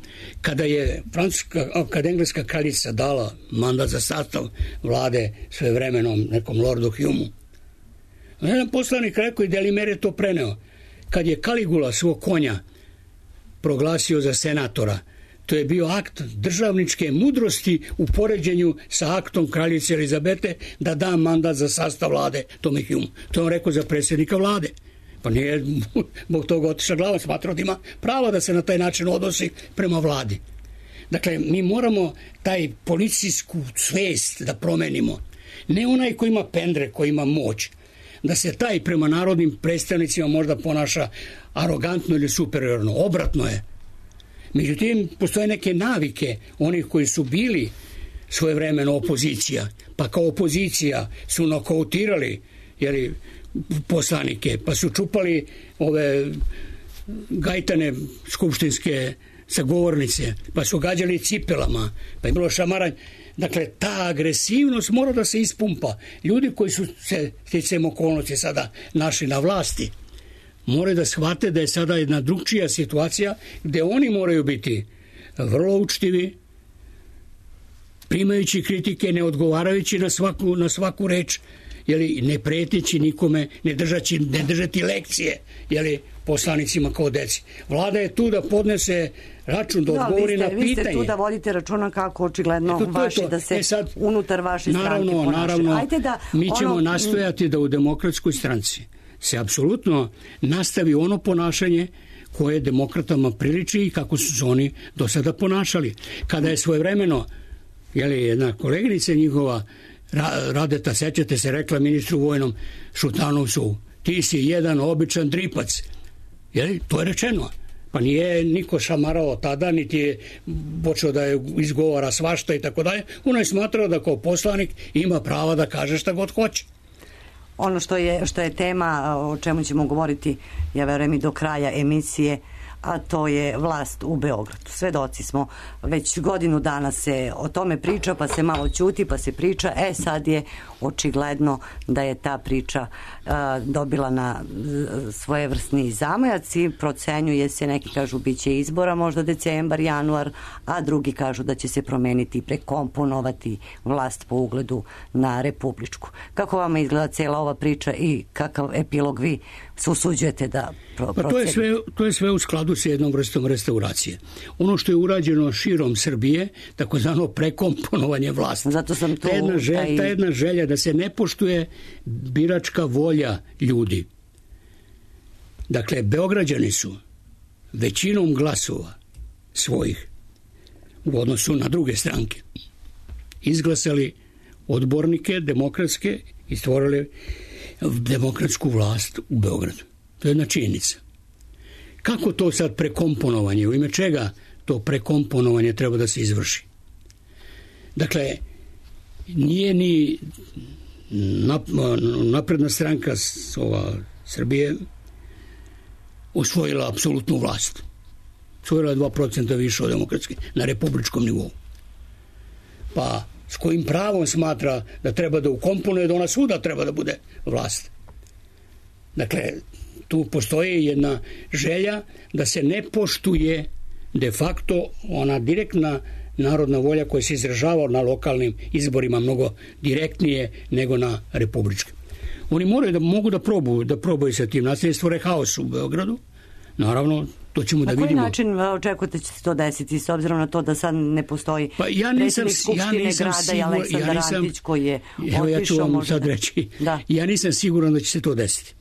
Kada je francuska, kad engleska kraljica dala mandat za sastav vlade svevremenom nekom Lordu Humu, jedan poslanik rekao i Delimer je to preneo. Kad je Kaligula svog konja proglasio za senatora, to je bio akt državničke mudrosti u poređenju sa aktom kraljice Elizabete da da mandat za sastav vlade tome Humu. To je on rekao za predsjednika vlade. Pa nije zbog toga otišla glava, smatrao da ima pravo da se na taj način odnosi prema vladi. Dakle, mi moramo taj policijsku svest da promenimo. Ne onaj ko ima pendre, ko ima moć. Da se taj prema narodnim predstavnicima možda ponaša arogantno ili superiorno. Obratno je. Međutim, postoje neke navike onih koji su bili svojevremeno opozicija, pa kao opozicija su nokautirali, jeli, poslanike, pa su čupali ove gajtane skupštinske sagovornice, pa su gađali cipelama, pa je bilo šamaranje. Dakle, ta agresivnost mora da se ispumpa. Ljudi koji su se sticajem okolnosti sada našli na vlasti, moraju da shvate da je sada jedna drugčija situacija gde oni moraju biti vrlo učtivi, primajući kritike, ne odgovarajući na svaku, na svaku reč, jeli, ne preteći nikome, ne držati, ne držati lekcije, jeli, poslanicima kao deci. Vlada je tu da podnese račun, da odgovori no, vi ste, na pitanje. Vi ste tu da vodite računa kako očigledno Eto, vaši, da se e sad, unutar vaše naravno, stranke ponašaju. Naravno, Ajde da mi ćemo ono... nastojati da u demokratskoj stranci se apsolutno nastavi ono ponašanje koje demokratama priliči i kako su se oni do sada ponašali. Kada je svojevremeno, jeli, jedna koleginica njihova Radeta, sećate se, rekla ministru vojnom Šutanovcu, ti si jedan običan dripac. Jeli, to je rečeno. Pa nije niko šamarao tada, niti je počeo da je izgovara svašta i tako dalje. Ono je smatrao da kao poslanik ima prava da kaže šta god hoće. Ono što je, što je tema, o čemu ćemo govoriti, ja verujem i do kraja emisije, a to je vlast u Beogradu. Svedoci smo, već godinu dana se o tome priča, pa se malo ćuti, pa se priča. E, sad je očigledno da je ta priča a, dobila na svojevrsni zamajac i procenjuje se, neki kažu biće izbora možda decembar, januar, a drugi kažu da će se promeniti i prekomponovati vlast po ugledu na republičku. Kako vama izgleda cela ova priča i kakav epilog vi se usuđujete da pro, pa to je sve, to je sve u skladu sa jednom vrstom restauracije. Ono što je urađeno širom Srbije, takozvano prekomponovanje vlasti. Zato sam tu... Ta jedna, želja, taj... ta jedna želja da se ne poštuje biračka volja ljudi. Dakle, Beograđani su većinom glasova svojih u odnosu na druge stranke. Izglasali odbornike demokratske i stvorili demokratsku vlast u Beogradu. To je jedna činjenica. Kako to sad prekomponovanje, u ime čega to prekomponovanje treba da se izvrši? Dakle, nije ni napredna stranka ova Srbije osvojila apsolutnu vlast. Osvojila je dva procenta više od demokratske na republičkom nivou. Pa s kojim pravom smatra da treba da ukomponuje da ona svuda treba da bude vlast? Dakle, tu postoji jedna želja da se ne poštuje de facto ona direktna narodna volja koja se izražava na lokalnim izborima mnogo direktnije nego na republičkim. Oni moraju da mogu da probaju, da probaju sa tim nasiljem, stvore haos u Beogradu. Naravno, to ćemo da vidimo. Na koji način očekujete će se to desiti s obzirom na to da sad ne postoji pa ja nisam, predsjednik Skupštine ja grada sigur, i Aleksandar ja Antić koji je evo ja ću vam sad da... reći. Da. Ja nisam siguran da će se to desiti.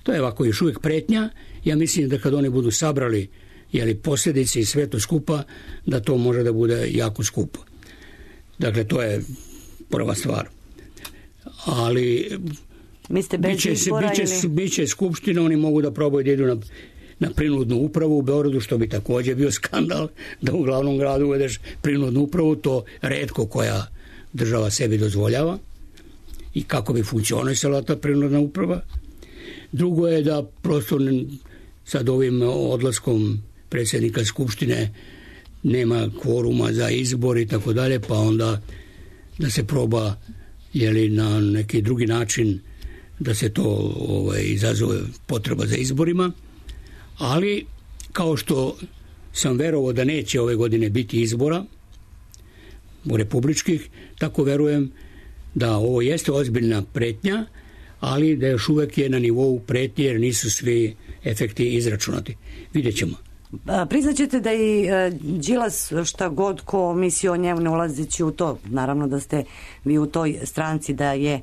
To je ovako još uvijek pretnja. Ja mislim da kad oni budu sabrali jeli, posljedice i sve to skupa, da to može da bude jako skupo. Dakle, to je prva stvar. Ali mislite bez biće, izbora biće, ili... biće skupština, oni mogu da probaju da idu na, na prinudnu upravu u Beogradu, što bi također bio skandal da u glavnom gradu uvedeš prinudnu upravu, to retko koja država sebi dozvoljava i kako bi funkcionisala ta prinudna uprava. Drugo je da prosto sad ovim odlaskom predsjednika Skupštine nema kvoruma za izbor i tako dalje, pa onda da se proba jeli, na neki drugi način da se to ovaj, izazove potreba za izborima, ali kao što sam verovao da neće ove godine biti izbora u republičkih, tako verujem da ovo jeste ozbiljna pretnja, ali da još uvek je na nivou pretnje jer nisu svi efekti izračunati. Vidjet ćemo. Priznaćete da i Đilas šta god ko misli o njemu ne ulazeći u to, naravno da ste vi u toj stranci, da je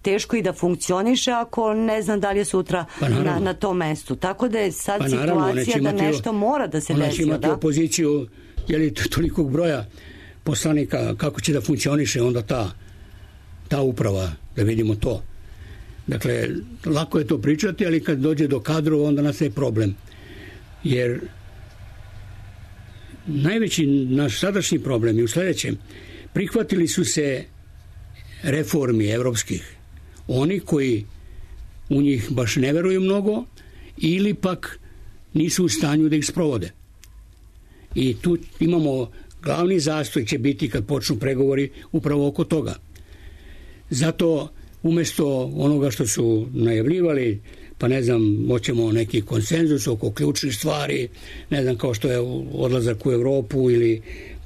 teško i da funkcioniše ako ne znam da li je sutra pa na, na tom mestu. Tako da je sad pa naravno, situacija da nešto mora da se desi. Ona će imati da? opoziciju jeli, tolikog broja poslanika, kako će da funkcioniše onda ta, ta uprava, da vidimo to. Dakle, lako je to pričati, ali kad dođe do kadrova onda nastaje problem. Jer najveći naš sadašnji problem je u sljedećem. Prihvatili su se reformi evropskih oni koji u njih baš ne veruju mnogo ili pak nisu u stanju da ih sprovode. I tu imamo glavni zastoj će biti kad počnu pregovori upravo oko toga. Zato umjesto onoga što su najavljivali, pa ne znam, moćemo neki konsenzus oko ključnih stvari, ne znam, kao što je odlazak u Evropu ili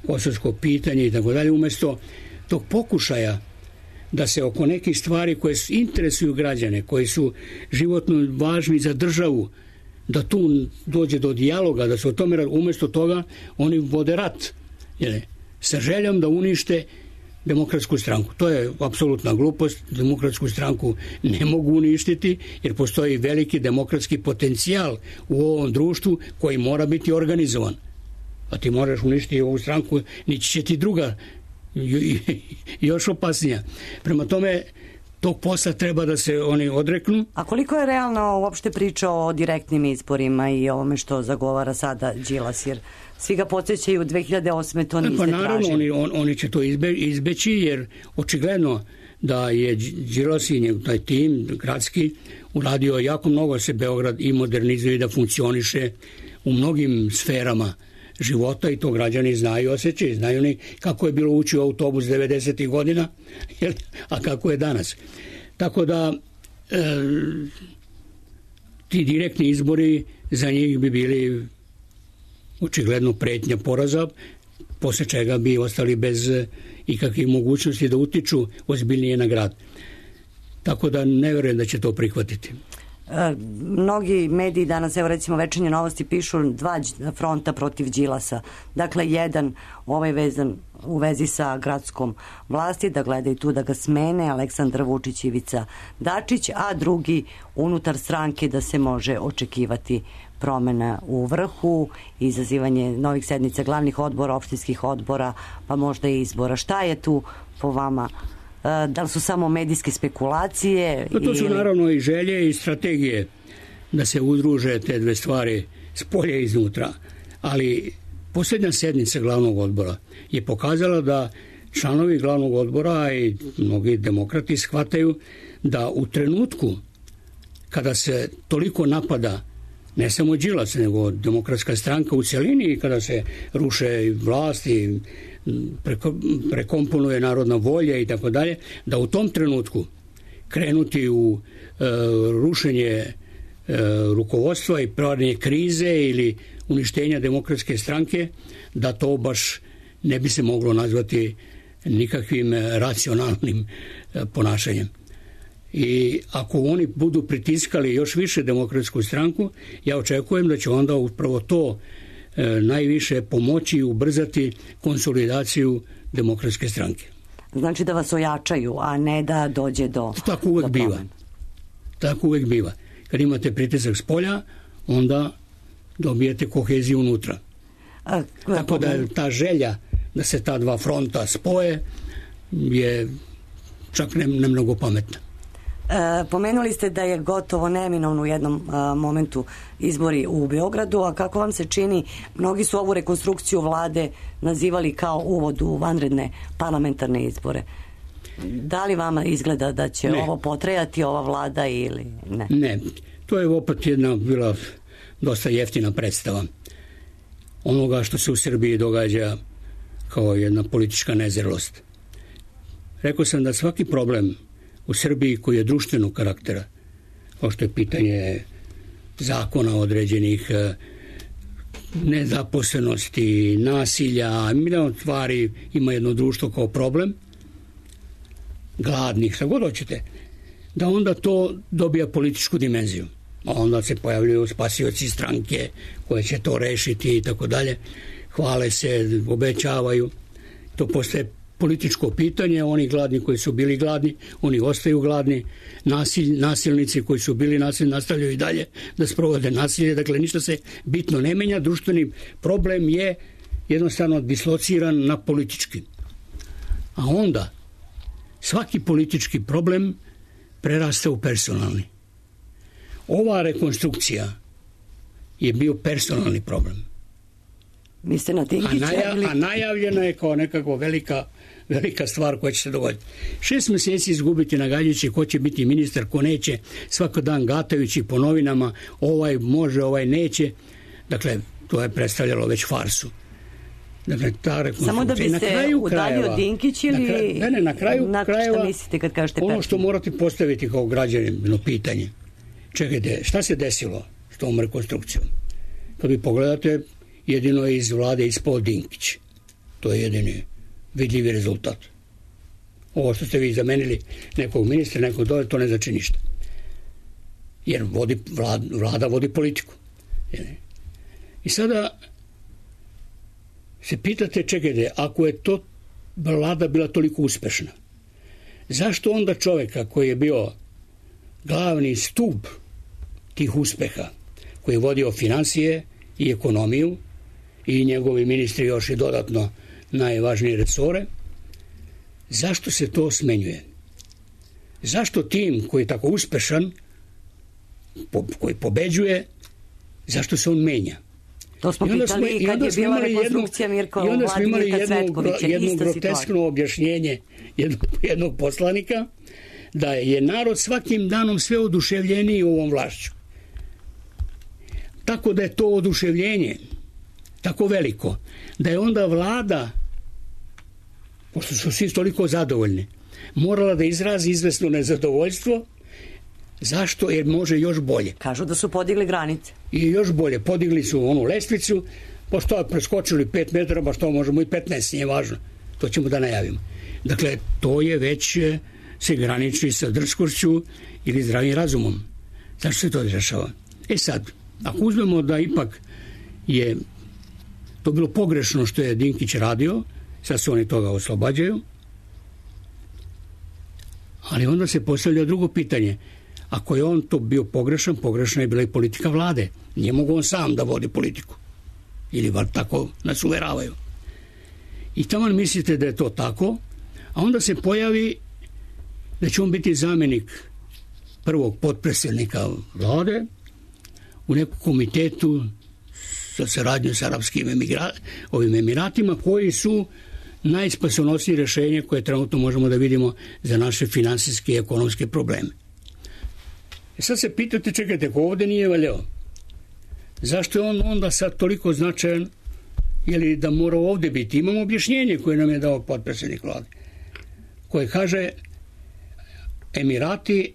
kosovsko pitanje i tako dalje, umjesto tog pokušaja da se oko nekih stvari koje interesuju građane, koji su životno važni za državu, da tu dođe do dijaloga, da se o tome, umjesto toga oni vode rat, jel, sa željom da unište Demokratsku stranku. To je apsolutna glupost. Demokratsku stranku ne mogu uništiti jer postoji veliki demokratski potencijal u ovom društvu koji mora biti organizovan. A ti moraš uništiti ovu stranku, nići će ti druga još opasnija. Prema tome, tog posla treba da se oni odreknu. A koliko je realno uopšte priča o direktnim izborima i ovome što zagovara sada Đilas, jer svi ga podsjećaju u dve hiljade osme to niste tražili. Pa naravno, oni, on, oni će to izbe, izbeći, jer očigledno da je Đilas i njegov taj tim gradski uradio jako mnogo se Beograd i modernizuje da funkcioniše u mnogim sferama života i to građani znaju, osjećaju, znaju ni kako je bilo ući u autobus devedesetih godina, a kako je danas. Tako da e, ti direktni izbori za njih bi bili očigledno pretnja poraza, posle čega bi ostali bez ikakvih mogućnosti da utiču ozbiljnije na grad. Tako da ne verujem da će to prihvatiti. mnogi mediji danas, evo recimo Večernje novosti, pišu dva fronta protiv Đilasa. Dakle, jedan ovaj vezan u vezi sa gradskom vlasti, da gledaju tu da ga smene Aleksandar Vučić i Ivica Dačić, a drugi unutar stranke da se može očekivati promena u vrhu, izazivanje novih sednica glavnih odbora, opštinskih odbora, pa možda i izbora. Šta je tu po vama? Da li su samo medijske spekulacije? No, to su ili... naravno i želje i strategije da se udruže te dve stvari s polja i iznutra. Ali posljednja sednica glavnog odbora je pokazala da članovi glavnog odbora i mnogi demokrati shvataju da u trenutku kada se toliko napada ne samo Đilas, nego Demokratska stranka u celini, kada se ruše vlasti, preko, prekomponuje narodna volja i tako dalje, da u tom trenutku krenuti u e, rušenje e, rukovodstva i pravljenje krize ili uništenja Demokratske stranke, da to baš ne bi se moglo nazvati nikakvim racionalnim e, ponašanjem. I ako oni budu pritiskali još više Demokratsku stranku, ja očekujem da će onda upravo to e, najviše pomoći i ubrzati konsolidaciju Demokratske stranke. Znači da vas ojačaju, a ne da dođe do... Tako uvek biva. Tako uvek biva. Kad imate pritisak s polja, onda dobijete koheziju unutra. A, Tako da ta želja da se ta dva fronta spoje je čak ne, ne mnogo pametna. E, pomenuli ste da je gotovo neminovno u jednom a, momentu izbori u Beogradu, a kako vam se čini, mnogi su ovu rekonstrukciju vlade nazivali kao uvod u vanredne parlamentarne izbore. Da li vama izgleda da će ne. ovo potrajati, ova vlada ili ne? Ne, to je opet jedna bila dosta jeftina predstava onoga što se u Srbiji događa kao jedna politička nezrelost. Rekao sam da svaki problem u Srbiji koji je društvenog karaktera, kao što je pitanje zakona određenih, nezaposlenosti, nasilja, milion stvari, ima jedno društvo kao problem, gladnih, šta god hoćete, da onda to dobija političku dimenziju. A onda se pojavljuju spasioci stranke koje će to rešiti i tako dalje. Hvale se, obećavaju. To postaje političko pitanje, oni gladni koji su bili gladni, oni ostaju gladni, nasilj, nasilnici koji su bili nasilni nastavljaju i dalje da sprovode nasilje, dakle ništa se bitno ne menja, društveni problem je jednostavno dislociran na politički. A onda svaki politički problem prerasta u personalni. Ova rekonstrukcija je bio personalni problem. Mislite na Dinkića? A, naja, a najavljena je kao nekako velika velika stvar koja će se dogoditi. Šest meseci izgubiti nagađajući ko će biti ministar, ko neće, svako dan gatajući po novinama, ovaj može, ovaj neće. Dakle, to je predstavljalo već farsu. Dakle, ta rekonstrukcija. Samo da bi se udaljio Dinkić ili... Na kraju, ne, ne, na kraju na krajeva... Šta mislite kad kažete ono personalno? što morate postaviti kao građanino pitanje. Čekajte, šta se desilo s tom rekonstrukcijom? Kad vi pogledate, jedino je iz vlade ispao Dinkić. To je jedini vidljivi rezultat. Ovo što ste vi zamenili nekog ministra, nekog dole, to ne znači ništa. Jer vodi, vlada, vlada vodi politiku. I sada se pitate, čekajte, ako je to vlada bila toliko uspešna, zašto onda čoveka koji je bio glavni stup tih uspeha, koji je vodio financije i ekonomiju i njegovi ministri još i dodatno najvažnije resore, zašto se to smenjuje? Zašto tim koji je tako uspešan, po, koji pobeđuje, zašto se on menja? To smo pitali i kad je bila rekonstrukcija Mirka Vladimira Cvetkovića. Jedno groteskno objašnjenje jednog, jednog poslanika da je narod svakim danom sve oduševljeniji ovom vlašću. Tako da je to oduševljenje tako veliko, da je onda vlada, pošto su svi toliko zadovoljni, morala da izrazi izvesno nezadovoljstvo. Zašto? Jer može još bolje. Kažu da su podigli granice. I još bolje. Podigli su onu lestvicu, pa što preskočili pet metara, pa što možemo i petnaest, nije važno. To ćemo da najavimo. Dakle, to je već se graniči sa drskošću ili zdravim razumom. Zašto se to dešava? E sad, ako uzmemo da ipak je to bilo pogrešno što je Dinkić radio, sad se oni toga oslobađaju, ali onda se postavlja drugo pitanje. Ako je on to bio pogrešan, pogrešna je bila i politika vlade. Nije mogu on sam da vodi politiku. Ili bar tako nas uveravaju. I tamo mislite da je to tako, a onda se pojavi da će on biti zamjenik prvog potpredsjednika vlade u nekom komitetu za saradnju s arapskim emigra, ovim emiratima, koji su najspasonosnije rješenje koje trenutno možemo da vidimo za naše finansijske i ekonomske probleme. E sad se pitate, čekajte, ko ovdje nije valjao? Zašto je on onda sad toliko značajan, ili da mora ovdje biti? Imamo objašnjenje koje nam je dao potpredsjednik vlade, koje kaže Emirati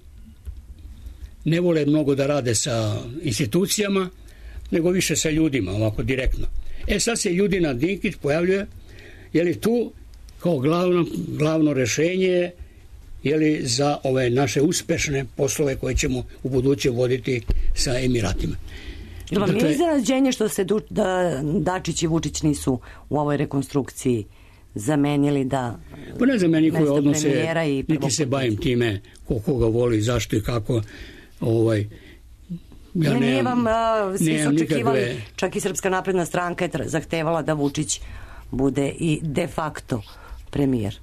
ne vole mnogo da rade sa institucijama, nego više sa ljudima, ovako direktno. E sad se Ljudina Dinkić pojavljuje, je li tu kao glavno, glavno rješenje, je li za ove naše uspešne poslove koje ćemo u buduće voditi sa Emiratima. Jel vam dakle, je iznenađenje što se du, da Dačić i Vučić nisu u ovoj rekonstrukciji zamenili da pa ne znam ja njihove odnose, niti se bavim time ko koga voli, zašto i kako. Ovaj, ja ne, nije vam, a, svi su očekivali, nikakve... čak i Srpska napredna stranka je zahtevala da Vučić bude i de facto premijer.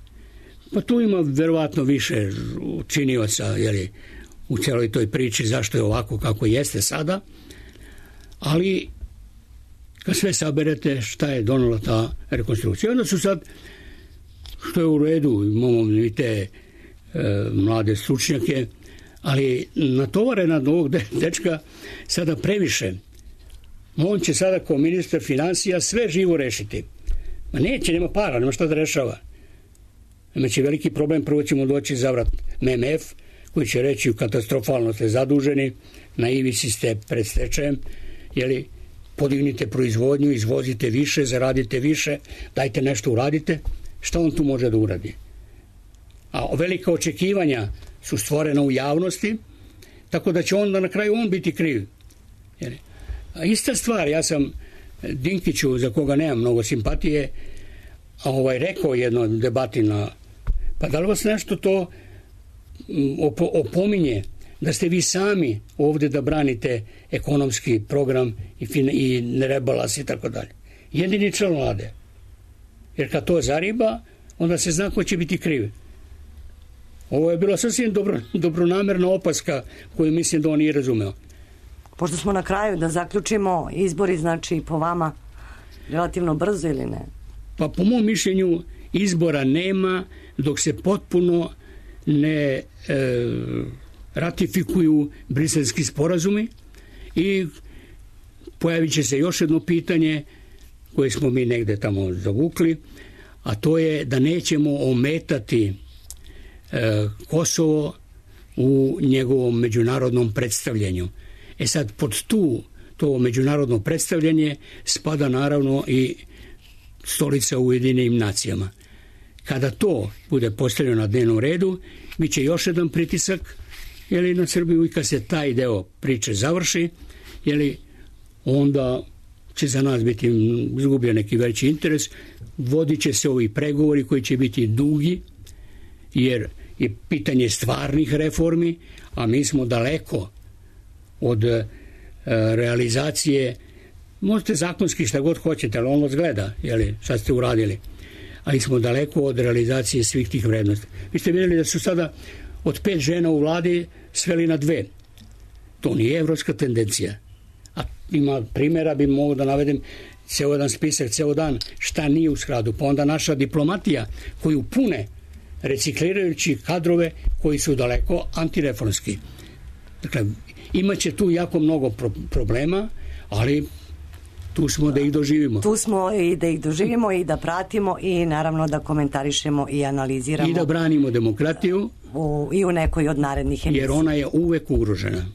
Pa tu ima verovatno više činioca, jeli, u celoj toj priči zašto je ovako kako jeste sada, ali kad sve saberete šta je donela ta rekonstrukcija, onda su sad, što je u redu, imamo i te e, mlade stručnjake, ali natovarena od ovog dečka sada previše. On će sada kao ministar financija sve živo rešiti. Ma neće, nema para, nema šta da rešava. Imaće veliki problem, prvo ćemo doći zavrat M M F, koji će reći katastrofalno ste zaduženi, na ivici ste pred stečajem, jeli, podignite proizvodnju, izvozite više, zaradite više, dajte nešto uradite. Šta on tu može da uradi? A velika očekivanja su stvorena u javnosti, tako da će onda na kraju on biti kriv. Jeli. A ista stvar, ja sam Dinkiću, za koga nemam mnogo simpatije, ovaj, rekao jednoj debati na, pa da li vas nešto to opo, opominje da ste vi sami ovdje da branite ekonomski program i, fin, i rebalans i tako dalje. Jedini član vlade. Jer kad to zariba, onda se zna ko će biti kriv. Ovo je bila sasvim dobro, dobronamerna opaska koju mislim da on nije razumeo. Pošto smo na kraju, da zaključimo, izbori znači po vama relativno brzo ili ne? Pa po mom mišljenju izbora nema dok se potpuno ne e, ratifikuju briselski sporazumi i pojavit će se još jedno pitanje koje smo mi negde tamo zavukli, a to je da nećemo ometati e, Kosovo u njegovom međunarodnom predstavljanju. E sad, pod tu, to međunarodno predstavljanje spada naravno i stolica u Ujedinjenim nacijama. Kada to bude postavljeno na dnevnom redu, bit će još jedan pritisak jeli, na Srbiju i kad se taj deo priče završi, jeli, onda će za nas biti izgubljen neki veći interes, vodit će se ovi pregovori koji će biti dugi, jer je pitanje stvarnih reformi, a mi smo daleko od e, realizacije, možete zakonski šta god hoćete, ali on vas gleda, jeli, šta ste uradili, ali smo daleko od realizacije svih tih vrednosti. Vi ste vidjeli da su sada od pet žena u vladi sveli na dve. To nije evropska tendencija. A ima primjera, bi mogu da navedem ceo jedan spisak, ceo dan, šta nije u skladu. Pa onda naša diplomatija koju pune reciklirajući kadrove koji su daleko antireformski. Dakle, imaće tu jako mnogo pro- problema, ali tu smo da ih doživimo. Tu smo i da ih doživimo i da pratimo i naravno da komentarišemo i analiziramo. I da branimo demokratiju. U, I u nekoj od narednih emisija. Jer ona je uvek ugrožena.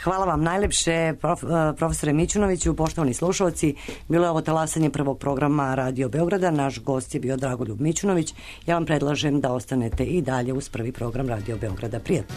Hvala vam najlepše, prof, profesore Mićunoviću, poštovani slušalci. Bilo je ovo talasanje prvog programa Radio Beograda. Naš gost je bio Dragoljub Mićunović. Ja vam predlažem da ostanete i dalje uz prvi program Radio Beograda. Prijatno.